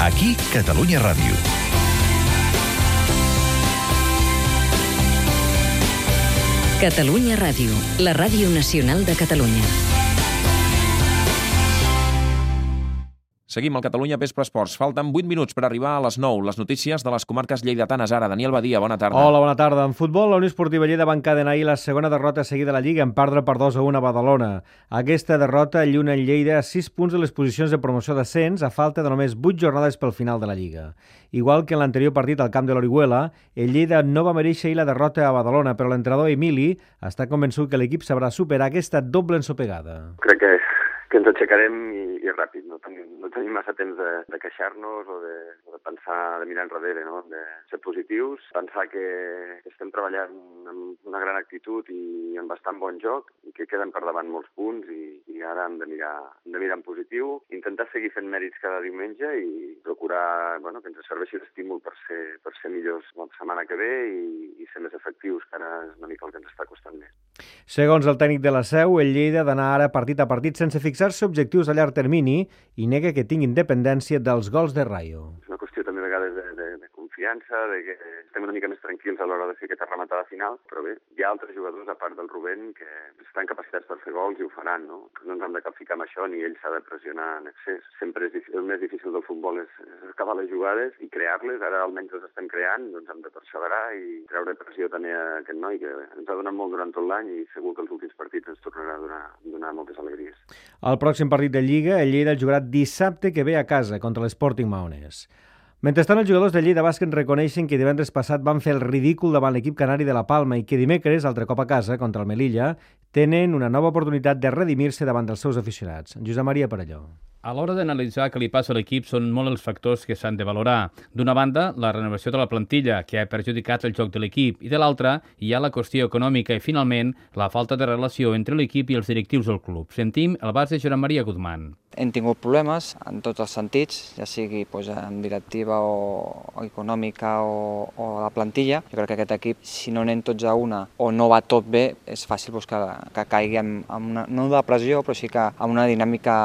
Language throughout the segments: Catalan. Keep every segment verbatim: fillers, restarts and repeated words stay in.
Aquí, Catalunya Ràdio. Catalunya Ràdio, la ràdio nacional de Catalunya. Seguim al Catalunya Vespre Esports. Falten vuit minuts per arribar a les nou. Les notícies de les comarques lleidatanes. Ara, Daniel Badia, bona tarda. Hola, bona tarda. En futbol, la Unió Esportiva Lleida va encadenar ahir la segona derrota seguida a la Lliga en perdre per dos a un a Badalona. Aquesta derrota allunya el Lleida a sis punts de les posicions de promoció d'ascens a falta de només vuit jornades pel final de la Lliga. Igual que en l'anterior partit al camp de l'Orihuela, el Lleida no va mereixer ahir la derrota a Badalona, però l'entrenador Emili està convençut que l'equip sabrà superar aquesta doble ensopegada. Crec que que ens aixecarem i, i ràpid, no tenim, no tenim massa temps de, de queixar-nos o de, o de pensar, de mirar enrere, no? De ser positius, pensar que estem treballant amb una gran actitud i amb bastant bon joc i que queden per davant molts punts i, i ara hem de mirar, hem de mirar en positiu, intentar seguir fent mèrits cada diumenge i procurar bueno, que ens serveixi d'estímul per ser, per ser millors la setmana que ve i, i ser més efectius, que ara és una mica el que ens està costant més. Segons el tècnic de la Seu, el Lleida ha d'anar ara partit a partit sense fixar-se objectius a llarg termini i nega que tingui independència dels gols de Rayo. És una qüestió també a vegades de, de, de confiança, de que estem una mica més tranquils a l'hora de fer aquesta rematada final, però bé, hi ha altres jugadors, a part del Rubén, que estan capacitats per fer gols i ho faran, no? No ens hem de capficar amb això, ni ell s'ha de pressionar en excés. Sempre és difícil, el més difícil del futbol és, és acabar les jugades i crear-les, ara almenys les estem creant, doncs hem de perseverar i treure pressió també a aquest noi, que ens ha donat molt durant tot l'any i segur que els últims partits ens tornarà a donar, donar moltes alegries. El pròxim partit de Lliga, el Lleida el jugarà dissabte que ve a casa contra l'Sporting Maonès. Mentrestant, els jugadors de Lleida Bàsquet reconeixen que divendres passat van fer el ridícul davant l'equip canari de la Palma i que dimecres, altre cop a casa, contra el Melilla, tenen una nova oportunitat de redimir-se davant dels seus aficionats. Josep Maria Parelló. A l'hora d'analitzar què li passa a l'equip són molt els factors que s'han de valorar. D'una banda, la renovació de la plantilla, que ha perjudicat el joc de l'equip, i de l'altra, hi ha la qüestió econòmica i, finalment, la falta de relació entre l'equip i els directius del club. Sentim el base Josep Maria Guzmán. Hem tingut problemes en tots els sentits, ja sigui doncs, en directiva o, o econòmica o, o la plantilla. Jo crec que aquest equip, si no anem tots a una o no va tot bé, és fàcil doncs, que, que caigui en, en una, no de pressió, però sí que en una dinàmica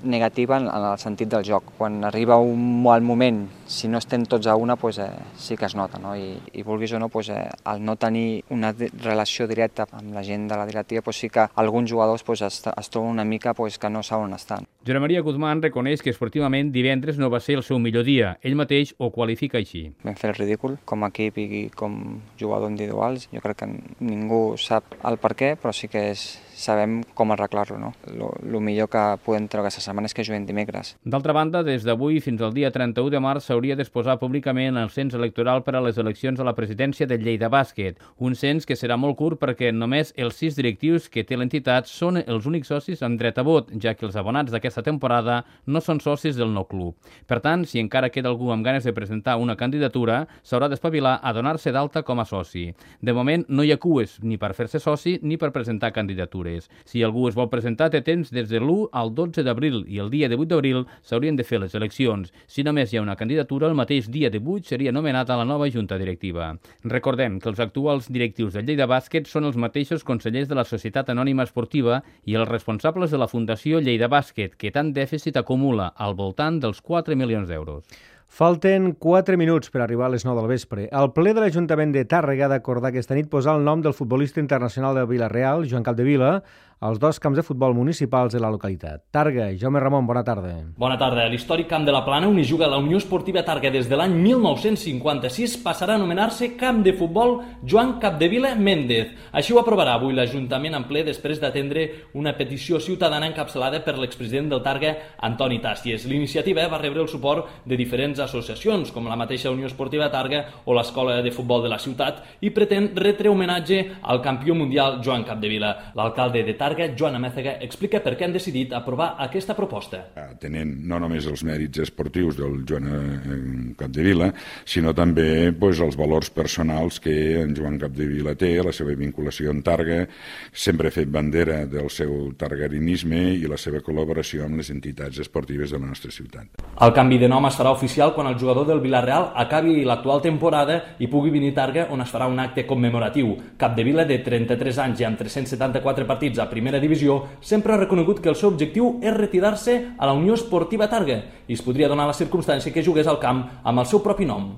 negativa en, en el sentit del joc. Quan arriba un mal moment, si no estem tots a una, doncs, eh, sí que es nota, no? I, i vulguis o no, doncs, eh, el no tenir una relació directa amb la gent de la directiva, doncs, sí que alguns jugadors doncs, es, es troben una mica doncs, que no saben on estan. Josep Maria Guzmán reconeix que esportivament divendres no va ser el seu millor dia. Ell mateix ho qualifica així. Vam fer el ridícul com a equip i com jugador individuals. Jo crec que ningú sap el per què, però sí que és, sabem com arreglar-lo. No? Lo, lo millor que podem treure aquesta setmana és que juguem dimecres. D'altra banda, des d'avui fins al dia trenta-u de març s'hauria d'exposar públicament el cens electoral per a les eleccions a la presidència del Lleida Bàsquet. Un cens que serà molt curt perquè només els sis directius que té l'entitat són els únics socis amb dret a vot, ja que els abonats d'aquesta temporada no són socis del nou club. Per tant, si encara queda algú amb ganes de presentar una candidatura, s'haurà d'espavilar a donar-se d'alta com a soci. De moment, no hi ha cues ni per fer-se soci ni per presentar candidatures. Si algú es vol presentar, té temps des de l'u al dotze d'abril i el dia divuit d'abril s'haurien de fer les eleccions. Si només hi ha una candidatura, el mateix dia divuit seria nomenat a la nova junta directiva. Recordem que els actuals directius del Lleida Bàsquet són els mateixos consellers de la Societat Anònima Esportiva i els responsables de la Fundació Lleida Bàsquet, que tant dèficit acumula al voltant dels quatre milions d'euros. Falten quatre minuts per arribar a les nou del vespre. El ple de l'Ajuntament de Tàrrega ha d'acordar aquesta nit posar el nom del futbolista internacional de Vila-real, Joan Capdevila, als dos camps de futbol municipals de la localitat. Tàrrega, Jaume Ramon, bona tarda. Bona tarda. L'històric Camp de la Plana, on hi juga la Unió Esportiva Tàrrega des de l'any mil nou-cents cinquanta-sis, passarà a anomenar-se Camp de Futbol Joan Capdevila Méndez. Així ho aprovarà avui l'Ajuntament en ple després d'atendre una petició ciutadana encapçalada per l'expresident del Tàrrega, Antoni Tàcies. L'iniciativa va rebre el suport de diferents associacions, com la mateixa Unió Esportiva Tàrrega o l'Escola de Futbol de la ciutat, i pretén retre homenatge al campió mundial Joan Capdevila. L'alcalde de Tàrrega, Joan Amézaga, explica per què han decidit aprovar aquesta proposta. Tenint no només els mèrits esportius del Joan Capdevila, sinó també pues, els valors personals que en Joan Capdevila té, la seva vinculació amb Tàrrega, sempre ha fet bandera del seu targarinisme i la seva col·laboració amb les entitats esportives de la nostra ciutat. El canvi de nom es farà oficial especial quan el jugador del Villarreal acabi l'actual temporada i pugui venir a Targa, on es farà un acte commemoratiu. Capdevila, de trenta-tres anys i amb tres-cents setanta-quatre partits a primera divisió, sempre ha reconegut que el seu objectiu és retirar-se a la Unió Esportiva Targa i es podria donar la circumstància que jugués al camp amb el seu propi nom.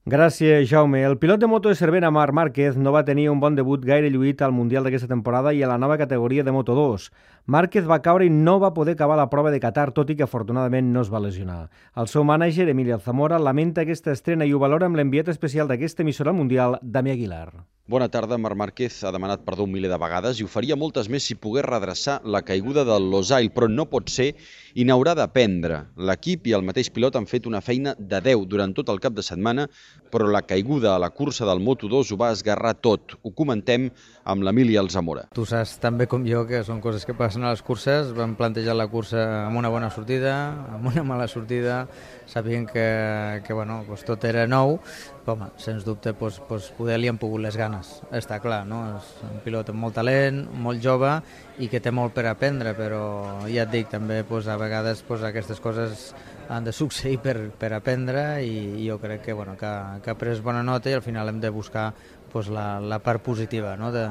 Gràcies, Jaume. El pilot de moto de Cervera, Marc Márquez, no va tenir un bon debut gaire lluït al Mundial d'aquesta temporada i a la nova categoria de Moto dos. Márquez va caure i no va poder acabar la prova de Qatar, tot i que afortunadament no es va lesionar. El seu mànager, Emili Alzamora, lamenta aquesta estrena i ho valora amb l'enviat especial d'aquesta emissora mundial, Damià Aguilar. Bona tarda. Marc Márquez ha demanat perdó un miler de vegades i ho faria moltes més si pogués redreçar la caiguda del Losail, però no pot ser i n'haurà d'aprendre. L'equip i el mateix pilot han fet una feina de deu durant tot el cap de setmana, però la caiguda a la cursa del Moto dos ho va esgarrar tot. Ho comentem amb l'Emili Alzamora. Tu saps tan bé com jo que són coses que passen a les curses. Vam plantejar la cursa amb una bona sortida, amb una mala sortida, sabien que, que bueno, pues tot era nou, però home, sens dubte pues, pues poder li han pogut les ganes, està clar, no? És un pilot amb molt talent, molt jove i que té molt per aprendre, però ja et dic, també pues, a vegades pues, aquestes coses han de succeir per, per aprendre i, i jo crec que, bueno, que, que ha pres bona nota i al final hem de buscar pues, la, la part positiva, no? de,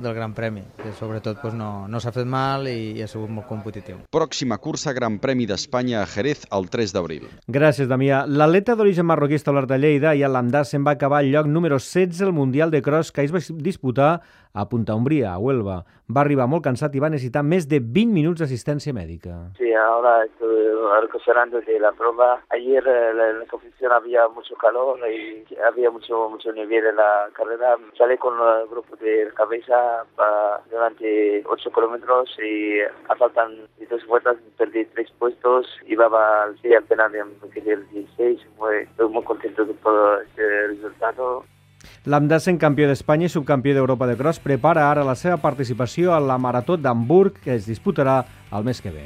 del Gran Premi, que sobretot pues, no, no s'ha fet mal i, i ha sigut molt competitiu. Pròxima cursa, Gran Premi d'Espanya a Jerez el tres d'abril. Gràcies, Damià. L'atleta d'origen marroquí establert a Lleida i a l'Amdà se'n va acabar al lloc número setze al Mundial de Cross que es va disputar a Punta Umbría, a Huelva. Va arribar molt cansat i va necessitar més de vint minuts d'assistència mèdica. Sí, ahora estoy recuperando de la prueba. Ayer en la, la competición había mucho calor y había mucho mucho nivel en la carrera. Salí con el grupo de cabeza para durante ocho kilómetros y a faltan dos vueltas perdí tres puestos y va al día apenas me quedé el dieciséis. Muy, estoy muy contento de todo este resultado. L'Amdà, sent campió d'Espanya i subcampió d'Europa de Cross, prepara ara la seva participació a la Marató d'Hamburg, que es disputarà el mes que ve.